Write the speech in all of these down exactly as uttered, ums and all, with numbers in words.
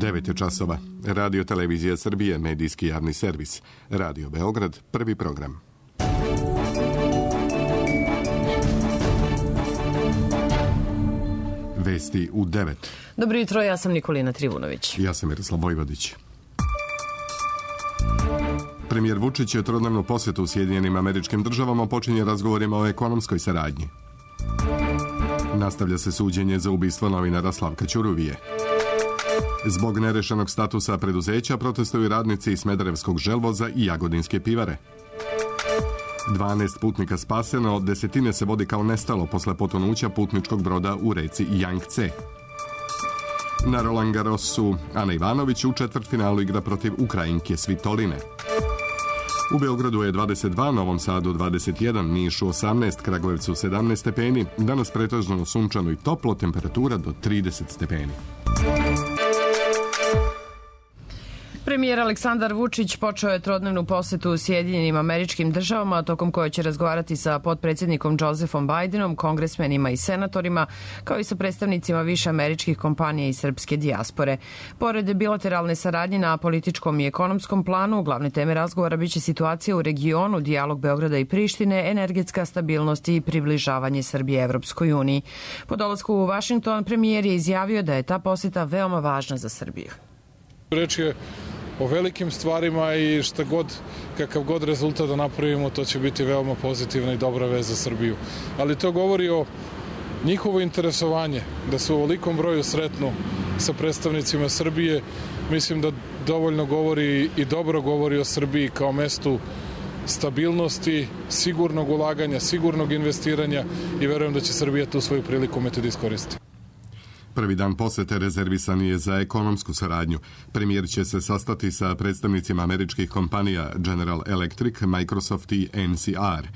devet je časova. Radio Televizija Srbije, medijski javni servis. Radio Beograd, prvi program. Vesti u devet. Dobro jutro, ja sam Nikolina Trivunović. Ja sam Miroslav Vojvodić. Premijer Vučić je trodnevnu posjetu u Sjedinjenim Američkim Državama počinje razgovorima o ekonomskoj saradnji. Nastavlja se suđenje za ubistvo novinara Slavka Ćuruvije. Zbog nerešenog statusa preduzeća protestuju radnici Smederevskog želvoza i Jagodinske pivare. dvanaest putnika spaseno, desetine se vodi kao nestalo posle potonuća putničkog broda u reci Jangtze. Na Roland Garrosu Ana Ivanović u četvrtfinalu igra protiv Ukrajinke Svitoline. U Beogradu je dvadeset dva, Novom Sadu dvadeset jedan, Nišu osamnaest, Kragujevcu sedamnaest stepeni, danas pretežno sunčano i toplo, temperatura do trideset stepeni. Premijer Aleksandar Vučić počeo je trodnevnu posetu u Sjedinjenim Američkim Državama, tokom koje će razgovarati sa potpredsjednikom Josefom Bidenom, kongresmenima i senatorima, kao i sa predstavnicima više američkih kompanija i srpske dijaspore. Pored bilateralne saradnje na političkom i ekonomskom planu, glavne teme razgovora biće situacija u regionu, dijalog Beograda i Prištine, energetska stabilnost i približavanje Srbije Evropskoj uniji. Po dolasku u Vašington, premijer je izjavio da je ta poseta veoma važna za Srbiju. Reč je o velikim stvarima i šta god, kakav god rezultat da napravimo, to će biti veoma pozitivna i dobra vez za Srbiju. Ali to govori o njihovo interesovanje, da se u ovolikom broju sretnu sa predstavnicima Srbije. Mislim da dovoljno govori i dobro govori o Srbiji kao mestu stabilnosti, sigurnog ulaganja, sigurnog investiranja i verujem da će Srbija tu svoju priliku umeti da iskoristi. Prvi dan posete rezervisan je za ekonomsku saradnju. Premijer će se sastati sa predstavnicima američkih kompanija General Electric, Microsoft i N C R.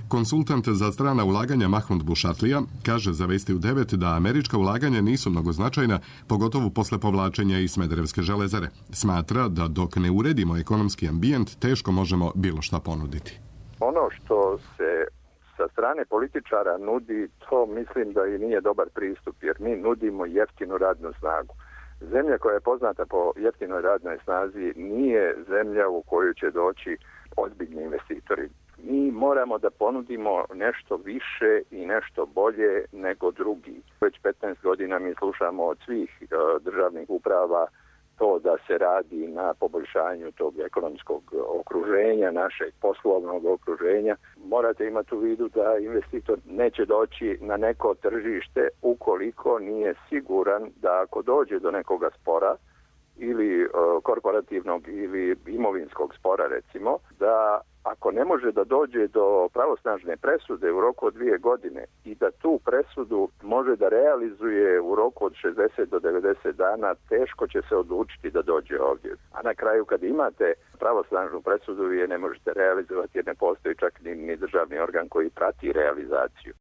Konsultant za strana ulaganja Mahmud Bušatlija kaže za Vesti u devet da američka ulaganja nisu mnogo značajna, pogotovo posle povlačenja iz Smederevske železare. Smatra da dok ne uredimo ekonomski ambijent, teško možemo bilo šta ponuditi. Ono što se sa strane političara nudi, to mislim da i nije dobar pristup, jer mi nudimo jeftinu radnu snagu. Zemlja koja je poznata po jeftinoj radnoj snazi nije zemlja u koju će doći ozbiljni investitori. Mi moramo da ponudimo nešto više i nešto bolje nego drugi. Već petnaest godina mi slušamo od svih uh, državnih uprava to da se radi na poboljšanju tog ekonomskog okruženja, našeg poslovnog okruženja. Morate imati u vidu da investitor neće doći na neko tržište ukoliko nije siguran da ako dođe do nekoga spora ili uh, korporativnog ili imovinskog spora recimo, da ako ne može da dođe do pravosnažne presude u roku od dvije godine i da tu presudu može da realizuje u roku od šezdeset do devedeset dana, teško će se odlučiti da dođe ovdje. A na kraju kad imate pravosnažnu presudu, vi je ne možete realizovati jer ne postoji čak ni, ni državni organ koji prati realizaciju.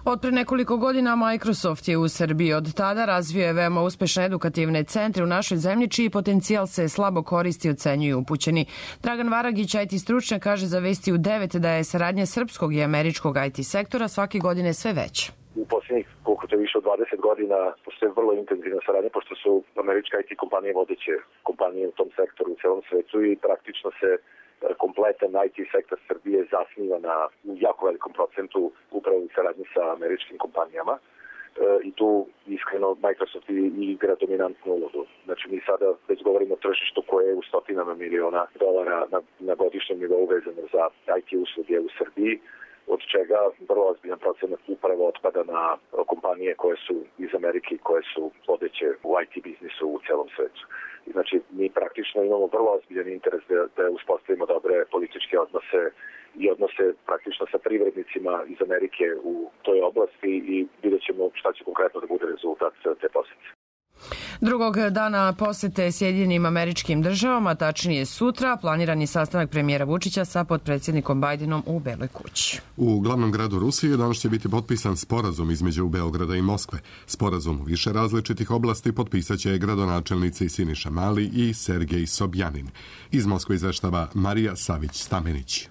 Od pre nekoliko godina Microsoft je u Srbiji. Od tada razvio je veoma uspešne edukativne centre u našoj zemlji, čiji potencijal se slabo koristi, ocenjuju upućeni. Dragan Varagić, I T stručnjak, kaže za Vesti u devet da je saradnja srpskog i američkog I T sektora svake godine sve veća. U posljednjih koliko to više od dvadeset godina postoje vrlo intenzivna saradnja, pošto su američke I T kompanije vodeće kompanije u tom sektoru u celom svetu i praktično se kompletan I T sektor Srbije zasniva na jako velikom procentu upravo u saradnji sa američkim kompanijama e, i tu iskreno Microsoft igra dominantnu ulogu. Znači mi sada već govorimo o tržištu koje je u stotinama miliona dolara na, na godišnjem nivou vezano za I T usluge u Srbiji, od čega vrlo ozbiljan procenat upravo otpada na kompanije koje su iz Amerike i koje su vodeće u I T biznisu u celom svetu. I znači mi praktično imamo vrlo ozbiljan interes da, da uspostavimo dobre političke odnose i odnose praktično sa privrednicima iz Amerike u toj oblasti i vidjet ćemo šta će konkretno da bude rezultat te posete. Drugog dana posete Sjedinjenim Američkim Državama, tačnije sutra, planiran je sastanak premijera Vučića sa potpredsjednikom Bajdenom u Beloj kući. U glavnom gradu Rusije danas će biti potpisan sporazum između Beograda i Moskve. Sporazum u više različitih oblasti potpisat će gradonačelnici Siniša Mali i Sergej Sobjanin. Iz Moskve izveštava Marija Savić-Stamenić.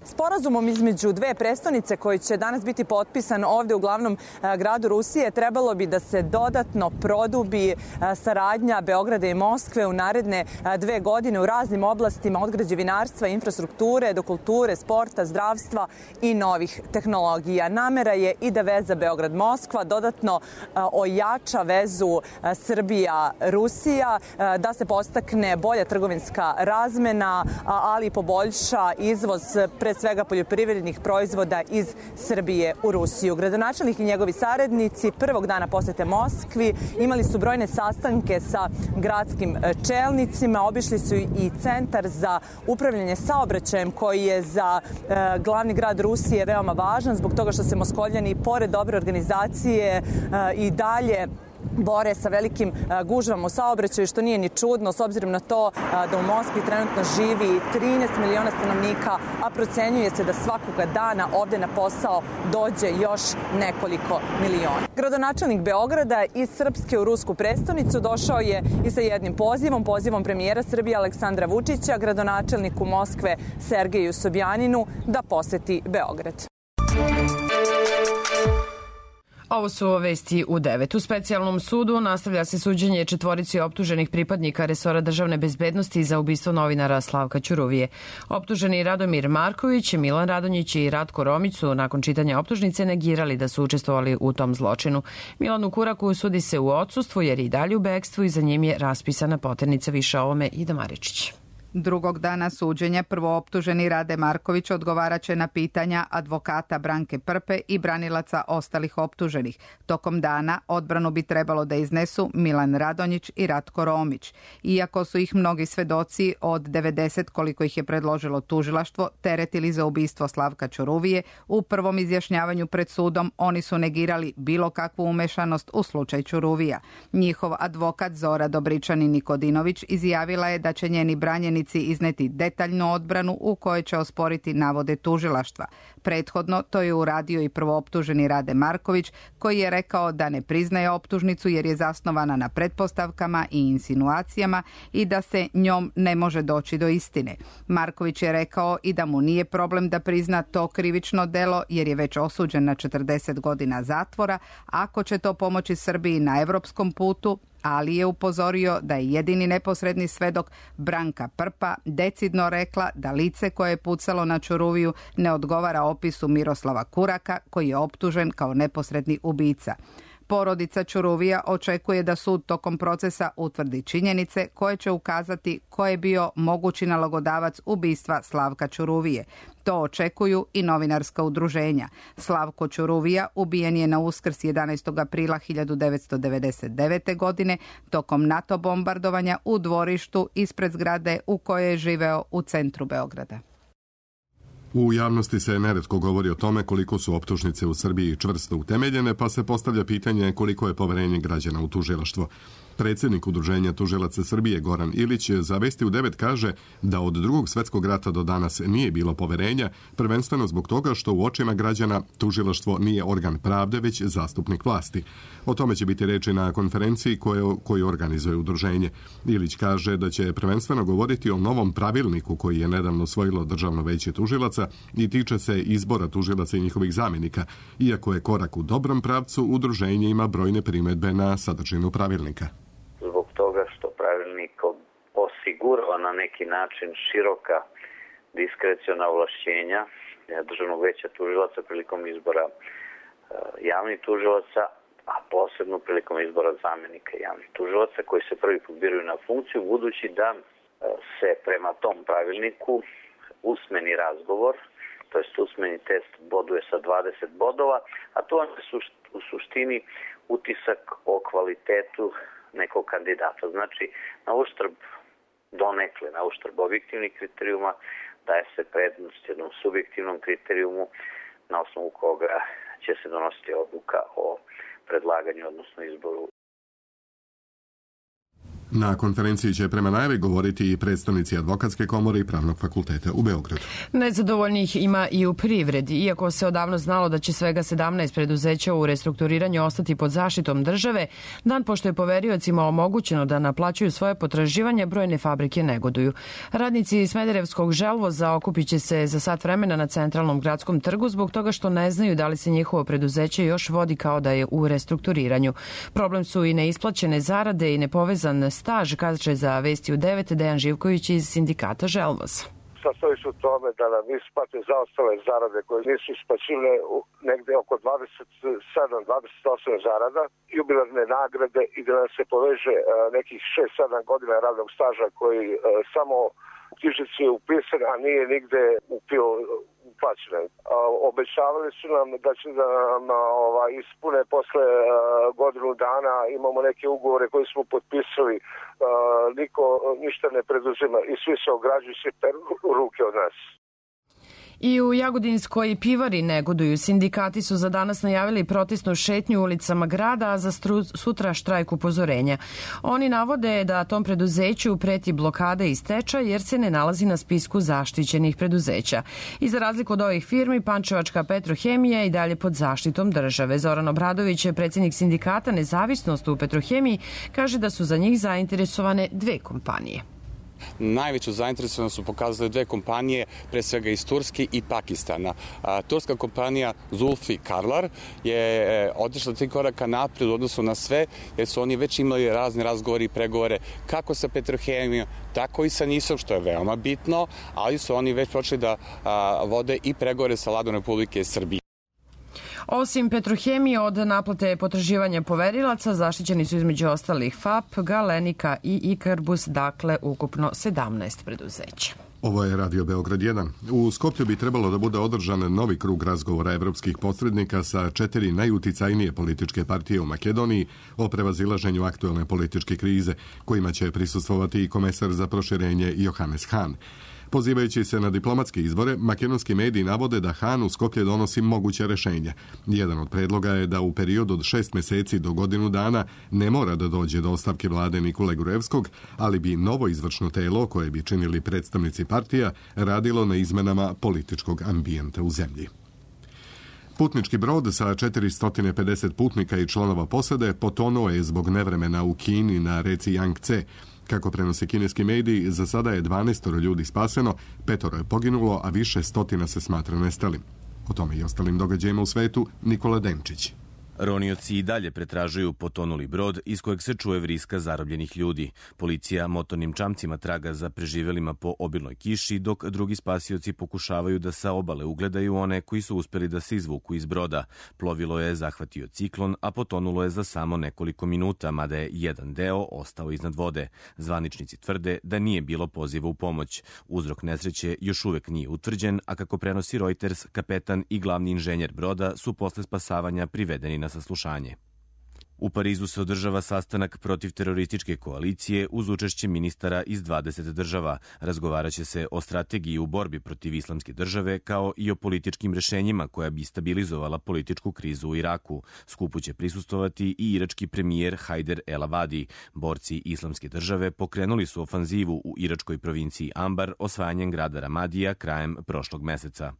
Sporazumom između dve prestonice koji će danas biti potpisan ovde u glavnom gradu Rusije trebalo bi da se dodatno produbi saradnja Beograda i Moskve u naredne dve godine u raznim oblastima od građevinarstva, infrastrukture do kulture, sporta, zdravstva i novih tehnologija. Namera je i da veza Beograd-Moskva dodatno ojača vezu Srbija-Rusija, da se podstakne bolja trgovinska razmena, ali i poboljša izvoz pre svega poljoprivrednih proizvoda iz Srbije u Rusiju. Gradonačelnik i njegovi saradnici prvog dana posete Moskvi imali su brojne sastanke sa gradskim čelnicima, obišli su i centar za upravljanje saobraćajem koji je za e, glavni grad Rusije veoma važan zbog toga što se Moskovljani pored dobre organizacije e, i dalje bore sa velikim gužvama u saobraćaju, što nije ni čudno s obzirom na to da u Moskvi trenutno živi trinaest miliona stanovnika, a procenjuje se da svakoga dana ovde na posao dođe još nekoliko miliona. Gradonačelnik Beograda iz Srpske u rusku prestonicu došao je i sa jednim pozivom, pozivom premijera Srbije Aleksandra Vučića, gradonačelniku Moskve Sergeju Sobjaninu da poseti Beograd. Ovo su vesti u devet. U specijalnom sudu nastavlja se suđenje četvorici optuženih pripadnika resora državne bezbednosti za ubistvo novinara Slavka Ćuruvije. Optuženi Radomir Marković, Milan Radonjić i Ratko Romić su nakon čitanja optužnice negirali da su učestvovali u tom zločinu. Milanu Kuraku sudi se u odsustvu jer je i dalje u bekstvu i za njim je raspisana poternica. Više o ovome Ida Maričić. Drugog dana suđenja prvooptuženi Rade Marković odgovaraće na pitanja advokata Branke Prpe i branilaca ostalih optuženih. Tokom dana odbranu bi trebalo da iznesu Milan Radonjić i Ratko Romić. Iako su ih mnogi svedoci od devedeset koliko ih je predložilo tužilaštvo teretili za ubistvo Slavka Ćuruvije, u prvom izjašnjavanju pred sudom oni su negirali bilo kakvu umešanost u slučaj Ćuruvija. Njihov advokat Zora Dobričanin Nikodinović izjavila je da će njeni branjeni izneti detaljnu odbranu u kojoj će osporiti navode tužilaštva. Prethodno to je uradio i prvooptuženi Rade Marković, koji je rekao da ne priznaje optužnicu jer je zasnovana na pretpostavkama i insinuacijama i da se njom ne može doći do istine. Marković je rekao i da mu nije problem da prizna to krivično delo jer je već osuđen na četrdeset godina zatvora, ako će to pomoći Srbiji na evropskom putu, ali je upozorio da je jedini neposredni svedok Branka Prpa decidno rekla da lice koje je pucalo na Ćuruviju ne odgovara opisu Miroslava Kuraka, koji je optužen kao neposredni ubica. Porodica Ćuruvija očekuje da sud tokom procesa utvrdi činjenice koje će ukazati ko je bio mogući nalogodavac ubistva Slavka Ćuruvije. To očekuju i novinarska udruženja. Slavko Ćuruvija ubijen je na Uskrs jedanaestog aprila hiljadu devetsto devedeset devete. godine tokom NATO bombardovanja u dvorištu ispred zgrade u kojoj je živeo u centru Beograda. U javnosti se neretko govori o tome koliko su optužnice u Srbiji čvrsto utemeljene, pa se postavlja pitanje koliko je poverenje građana u tužilaštvo. Predsjednik Udruženja tužilaca Srbije Goran Ilić za Vesti u devet kaže da od drugog svjetskog rata do danas nije bilo poverenja, prvenstveno zbog toga što u očima građana tužilaštvo nije organ pravde, već zastupnik vlasti. O tome će biti reči na konferenciji koju, koju organizuje udruženje. Ilić kaže da će prvenstveno govoriti o novom pravilniku koji je nedavno usvojilo Državno veće tužilaca i tiče se izbora tužilaca i njihovih zamjenika. Iako je korak u dobrom pravcu, udruženje ima brojne primjedbe na sadržinu pravilnika. Zbog toga što pravilnik osigurava na neki način široka diskreciona ovlašćenja Državnog veća tužilaca prilikom izbora javnih tužilaca, a posebno prilikom izbora zamjenika javnih tužilaca koji se prvi put biraju na funkciju, budući da se prema tom pravilniku usmeni razgovor, to jest usmeni test boduje sa dvadeset bodova, a to je u suštini utisak o kvalitetu nekog kandidata. Znači, na uštrb donekle, na uštrb objektivnih kriterijuma, daje se prednost jednom subjektivnom kriterijumu na osnovu koga će se donositi odluka o predlaganju, odnosno izboru. Na konferenciji će prema najavi govoriti i predstavnici Advokatske komore i Pravnog fakulteta u Beogradu. Nezadovoljnih ima i u privredi. Iako se odavno znalo da će svega sedamnaest preduzeća u restrukturiranju ostati pod zaštitom države, dan pošto je poveriocima omogućeno da naplaćuju svoje potraživanje, brojne fabrike negoduju. Radnici Smederevskog želvoza okupit će se za sat vremena na centralnom gradskom trgu zbog toga što ne znaju da li se njihovo preduzeće još vodi kao da je u restrukturiranju. Problem su i neisplaćene zarade i nepovezan staž, kaže za Vesti u devet Dejan Živković iz sindikata Želvoza. Sastoji se u tome da nam isplate zaostale zarade koje nisu isplaćivane negde oko dvadeset sedam dvadeset osam zarada, jubilarne nagrade i da nam se poveže nekih šest sedam godina radnog staža koji samo u knjižici je upisan, a nije nigde upio uplaćene. Obećavali su nam da će da nam ovaj, ispune posle uh, godinu dana, imamo neke ugovore koje smo potpisali, uh, niko ništa ne preduzima i svi se ograđuju, svi peru ruke od nas. I u Jagodinskoj pivari negoduju. Sindikati su za danas najavili protestnu šetnju ulicama grada, a za stru, sutra štrajk upozorenja. Oni navode da tom preduzeću preti blokada i stečaj jer se ne nalazi na spisku zaštićenih preduzeća. I za razliku od ovih firmi, Pančevačka Petrohemija je i dalje pod zaštitom države. Zoran Obradović, predsjednik sindikata Nezavisnost u Petrohemiji, kaže da su za njih zainteresovane dve kompanije. Najveću zainteresovanost su pokazale dve kompanije, pre svega iz Turske i Pakistana. A, turska kompanija Zulfi Karlar je e, otišla tri koraka napred u odnosu na sve, jer su oni već imali razne razgovore i pregovore kako sa Petrohemijom, tako i sa NIS-om, što je veoma bitno, ali su oni već počeli da a, vode i pregovore sa Vladom Republike Srbije. Osim Petrohemije, od naplate potraživanja poverilaca zaštićeni su između ostalih F A P, Galenika i Ikarbus, dakle ukupno sedamnaest preduzeća. Ovo je Radio Beograd jedan. U Skoplju bi trebalo da bude održan novi krug razgovora evropskih posrednika sa četiri najuticajnije političke partije u Makedoniji o prevazilaženju aktuelne političke krize, kojima će prisustvovati i komesar za proširenje Johannes Hahn. Pozivajući se na diplomatske izbore, makedonski mediji navode da Hahn u Skoplje donosi moguće rešenja. Jedan od predloga je da u periodu od šest meseci do godinu dana ne mora da dođe do ostavke vlade Nikole Grujevskog, ali bi novo izvršno telo, koje bi činili predstavnici partija, radilo na izmenama političkog ambijenta u zemlji. Putnički brod sa četiristo pedeset putnika i članova posade potonuo je zbog nevremena u Kini na reci Jangtze. Kako prenose kineski mediji, za sada je dvanaest ljudi spaseno, petoro je poginulo, a više stotina se smatra nestalim. O tome i ostalim događajima u svetu, Nikola Denčić. Ronioci i dalje pretražuju potonuli brod iz kojeg se čuje vriska zarobljenih ljudi. Policija motornim čamcima traga za preživelima po obilnoj kiši, dok drugi spasioci pokušavaju da sa obale ugledaju one koji su uspeli da se izvuku iz broda. Plovilo je zahvatio ciklon, a potonulo je za samo nekoliko minuta, mada je jedan deo ostao iznad vode. Zvaničnici tvrde da nije bilo poziva u pomoć. Uzrok nesreće još uvek nije utvrđen, a kako prenosi Reuters, kapetan i glavni inženjer broda su posle spasavanja privedeni na saslušanje. U Parizu se održava sastanak protiv terorističke koalicije uz učešće ministara iz dvadeset država. Razgovaraće se o strategiji u borbi protiv islamske države kao i o političkim rešenjima koja bi stabilizovala političku krizu u Iraku. Skupu će prisustovati i irački premijer Hajder El Avadi. Borci islamske države pokrenuli su ofanzivu u iračkoj provinciji Ambar osvajanjem grada Ramadija krajem prošlog meseca.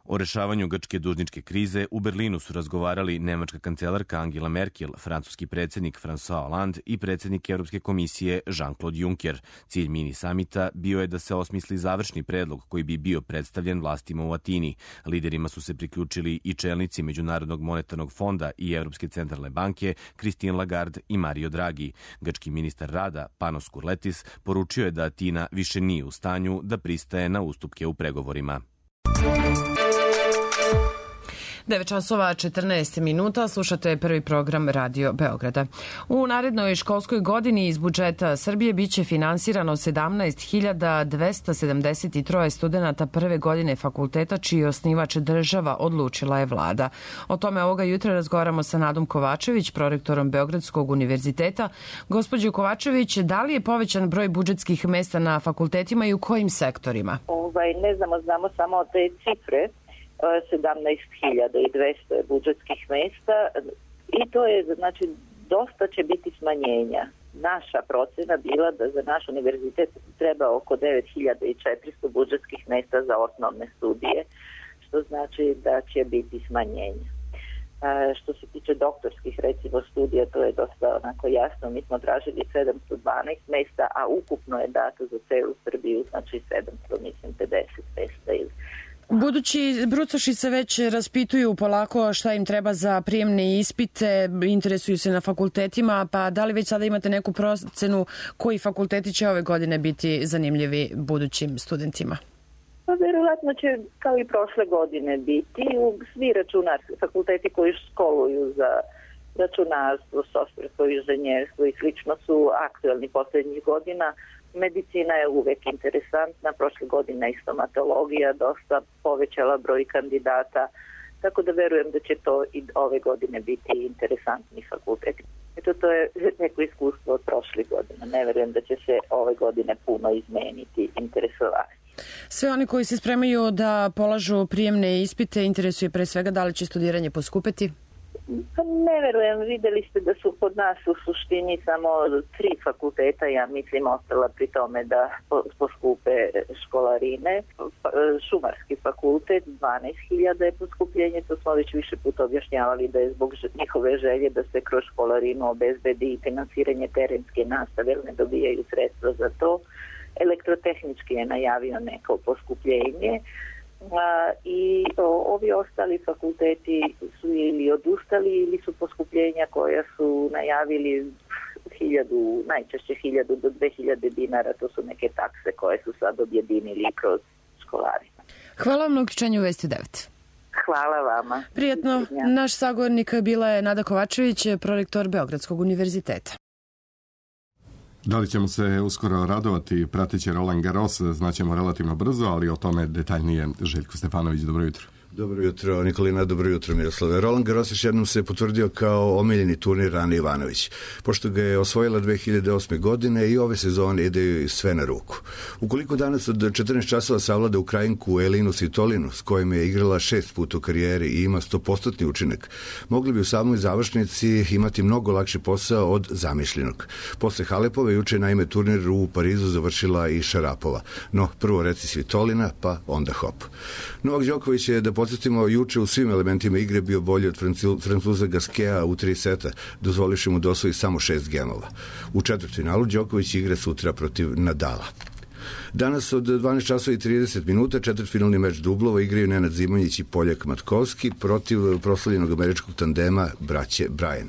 O rešavanju grčke dužničke krize u Berlinu su razgovarali nemačka kancelarka Angela Merkel, francuski predsjednik François Hollande i predsjednik Europske komisije Jean-Claude Juncker. Cilj mini samita bio je da se osmisli završni predlog koji bi bio predstavljen vlastima u Atini. Liderima su se priključili i čelnici Međunarodnog monetarnog fonda i Europske centralne banke Christine Lagarde i Mario Draghi. Grčki ministar rada Panos Kurletis poručio je da Atina više nije u stanju da pristaje na ustupke u pregovorima. devet časova četrnaest minuta, slušate prvi program Radio Beograda. U narednoj školskoj godini iz budžeta Srbije biće finansirano sedamnaest hiljada dvesta sedamdeset tri studenta prve godine fakulteta, čiji osnivač država, odlučila je vlada. O tome ovoga jutra razgovaramo sa Nadom Kovačević, prorektorom Beogradskog univerziteta. Gospođo Kovačević, da li je povećan broj budžetskih mesta na fakultetima i u kojim sektorima? Ovaj, ne znamo, znamo samo te cifre. sedamnaest hiljada dvesta budžetskih mesta i to je, znači, dosta će biti smanjenja. naša procena bila da za naš univerzitet treba oko devet hiljada četiristo budžetskih mesta za osnovne studije, što znači da će biti smanjenje. A, što se tiče doktorskih, recimo, studija, to je dosta onako jasno. Mi smo tražili sedamsto dvanaest mesta, a ukupno je dato za celu Srbiju, znači sedamsto, mislim, pedeset mesta ili... Budući brucoši se već raspituju polako šta im treba za prijemne ispite, interesuju se na fakultetima, pa da li već sada imate neku procenu koji fakulteti će ove godine biti zanimljivi budućim studentima? Pa verovatno će kao i prošle godine biti svi računarski fakulteti koji školuju za računarstvo, softversko inženjerstvo i slično su aktuelni poslednjih godina. Medicina je uvek interesantna, prošle godine i stomatologija dosta povećala broj kandidata, tako da verujem da će to i ove godine biti interesantni fakulteti. Eto, to je neko iskustvo od prošle godine. Ne verujem da će se ove godine puno izmeniti interesovanje. Sve oni koji se spremaju da polažu prijemne ispite, interesuje pre svega da li će studiranje poskupeti? Pa ne verujem, videli ste da su kod nas u suštini samo tri fakulteta, ja mislim, ostala pri tome da poskupe školarine. Šumarski fakultet, dvanaest hiljada je poskupljenje, to smo već više puta objašnjavali da je zbog njihove želje da se kroz školarinu obezbedi i finansiranje terenske nastave, jer ne dobijaju sredstva za to. Elektrotehnički je najavio neko poskupljenje. A, i o, ovi ostali fakulteti su ili odustali ili su poskupljenja koja su najavili hiljadu, najčešće hiljadu do dve hiljade dinara, to su neke takse koje su sad objedinili kroz školarinu. Hvala vam na uključenju u Vesti devet. Hvala vama. Prijatno. Naš sagovornik bila je Nada Kovačević, prorektor Beogradskog univerziteta. Da li ćemo se uskoro radovati, pratit će Roland Garros, znaćemo relativno brzo, ali o tome detaljnije Željko Stefanović. Dobro jutro. Dobro jutro, Nikolina, dobro jutro, Miroslave. Roland Garros još jednom se potvrdio kao omiljeni turnir Ane Ivanović, pošto ga je osvojila dve hiljade osme. godine i ove sezone ide sve na ruku. Ukoliko danas od četrnaest časova savlada Ukrajinku Elinu Svitolinu, s kojim je igrala šest puta u karijeri i ima sto posto učinak, mogli bi u samoj završnici imati mnogo lakši posao od zamišljenog. Posle Halepove juče naime turnir u Parizu završila i Šarapova. No, prvo reci Svitolina, pa onda hop. Novak Đoković je, da podsjetimo, juče u svim elementima igre bio bolji od Francuza Gaskea u tri seta, dozvoliši mu da osvoji samo šest gemova. U četvrtfinalu Đoković igra sutra protiv Nadala. Danas od dvanaest časova i trideset minuta četvrtfinalni meč dublova igraju Nenad Zimonjić i Poljak Matkovski protiv proslavljenog američkog tandema braće Bryan.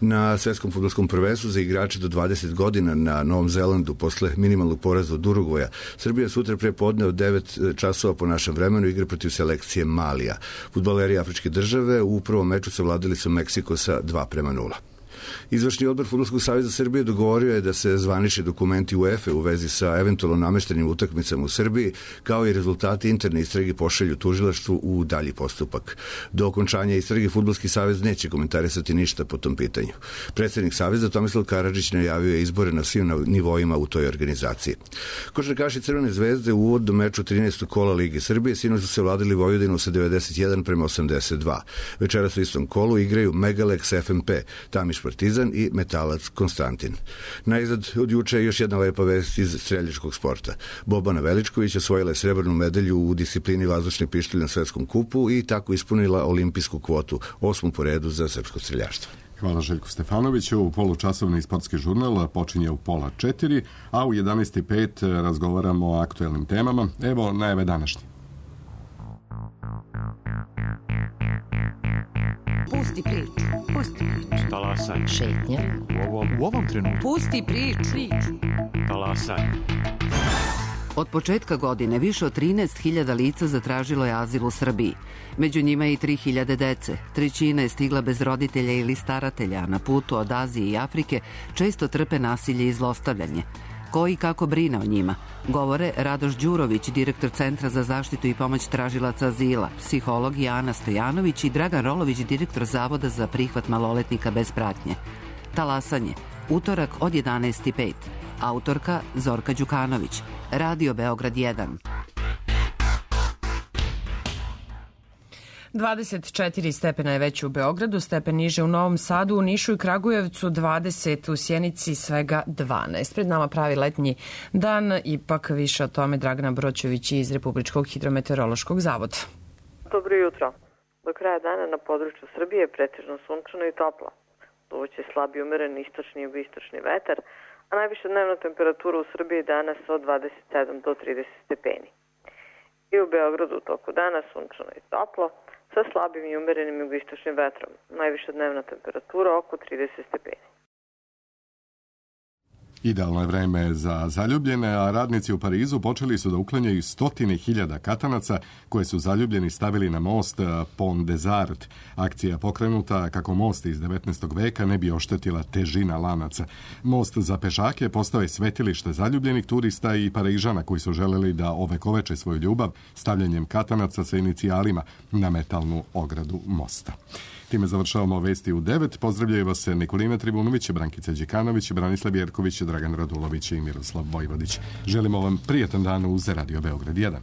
Na svetskom fudbalskom prvenstvu za igrače do dvadeset godina na Novom Zelandu posle minimalnog poraza od Urugvaja, Srbija sutra pre podne od devet časova po našem vremenu igra protiv selekcije Malija. Fudbaleri afričke države u prvom meču savladali su Meksiko sa dva prema nula. Izvršni odbor Fudbalskog saveza Srbije dogovorio je da se zvanični dokumenti UEFA u vezi sa eventualno nameštenim utakmicama u Srbiji, kao i rezultati interne istrage pošalju tužilaštvu u dalji postupak. Do okončanja istrage Fudbalski savez neće komentarisati ništa po tom pitanju. Predsednik saveza Tomislav Karadžić najavio je izbore na svim nivoima u toj organizaciji. Košarkaši Crvene zvezde u uvodnom meču trinaestog kola Lige Srbije sinoć su se vladili Vojvodinu sa devedeset jedan prema osamdeset dva. Večeras u istom kolu igraju Megalex F M P, Tamiš Partizan i Metalac Konstantin. Najzad od juče je još jedna lepa vest iz streljačkog sporta. Bobana Veličković osvojila je srebrnu medalju u disciplini vazdušni pištolj na svetskom kupu i tako ispunila olimpijsku kvotu, osmu po redu za srpsko streljaštvo. Hvala Željku Stefanoviću. Polučasovni sportski žurnal počinje u pola četiri, a u jedanaest i pet razgovaramo o aktuelnim temama. Evo najave današnje. Pusti priču, pusti priču. Talasaj. Šetnja. U ovom, u ovom trenutku. Pusti priču. Talasaj. Od početka godine više od trinaest hiljada lica zatražilo je azil u Srbiji. Među njima i tri hiljade dece. Trećina je stigla bez roditelja ili staratelja, a na putu od Azije i Afrike često trpe nasilje i zlostavljanje. Ko i kako brine o njima? Govore Radoš Đurović, direktor Centra za zaštitu i pomoć tražilaca azila, psiholog Ana Stojanović i Dragan Rolović, direktor Zavoda za prihvat maloletnika bez pratnje. Talasanje, utorak od jedanaest i pet. Autorka Zorka Đukanović. Radio Beograd jedan. dvadeset četiri stepena je već u Beogradu, stepen niže u Novom Sadu, u Nišu i Kragujevcu dvadeset, u Sjenici svega dvanaest. Pred nama pravi letnji dan, ipak više o tome Dragana Broćević iz Republičkog hidrometeorološkog zavoda. Dobro jutro. Do kraja dana na području Srbije je pretežno sunčano i toplo. Duvaće slabi umeren istočni i jugoistočni vetar, a najviša dnevna temperatura u Srbiji danas od dvadeset sedam do trideset stepeni. I u Beogradu u toku dana sunčano i toplo, sa slabim i umerenim jugoistočnim vetrom. Najviša dnevna temperatura oko trideset stepeni. Idealno je vreme za zaljubljene, a radnici u Parizu počeli su da uklanjaju stotine hiljada katanaca koje su zaljubljeni stavili na most Pont des Arts. Akcija pokrenuta kako most iz devetnaestog veka ne bi oštetila težina lanaca. Most za pešake postao je svetilište zaljubljenih turista i Parižana koji su želeli da ovekoveče svoju ljubav stavljanjem katanaca sa inicijalima na metalnu ogradu mosta. Time završavamo vesti u devet. Pozdravljaju vas Nikolina Tribunović, Brankica Đikanović, Branislav Jerković, Dragan Radulović i Miroslav Vojvodić. Želimo vam prijetan dan uz Radio Beograd jedan.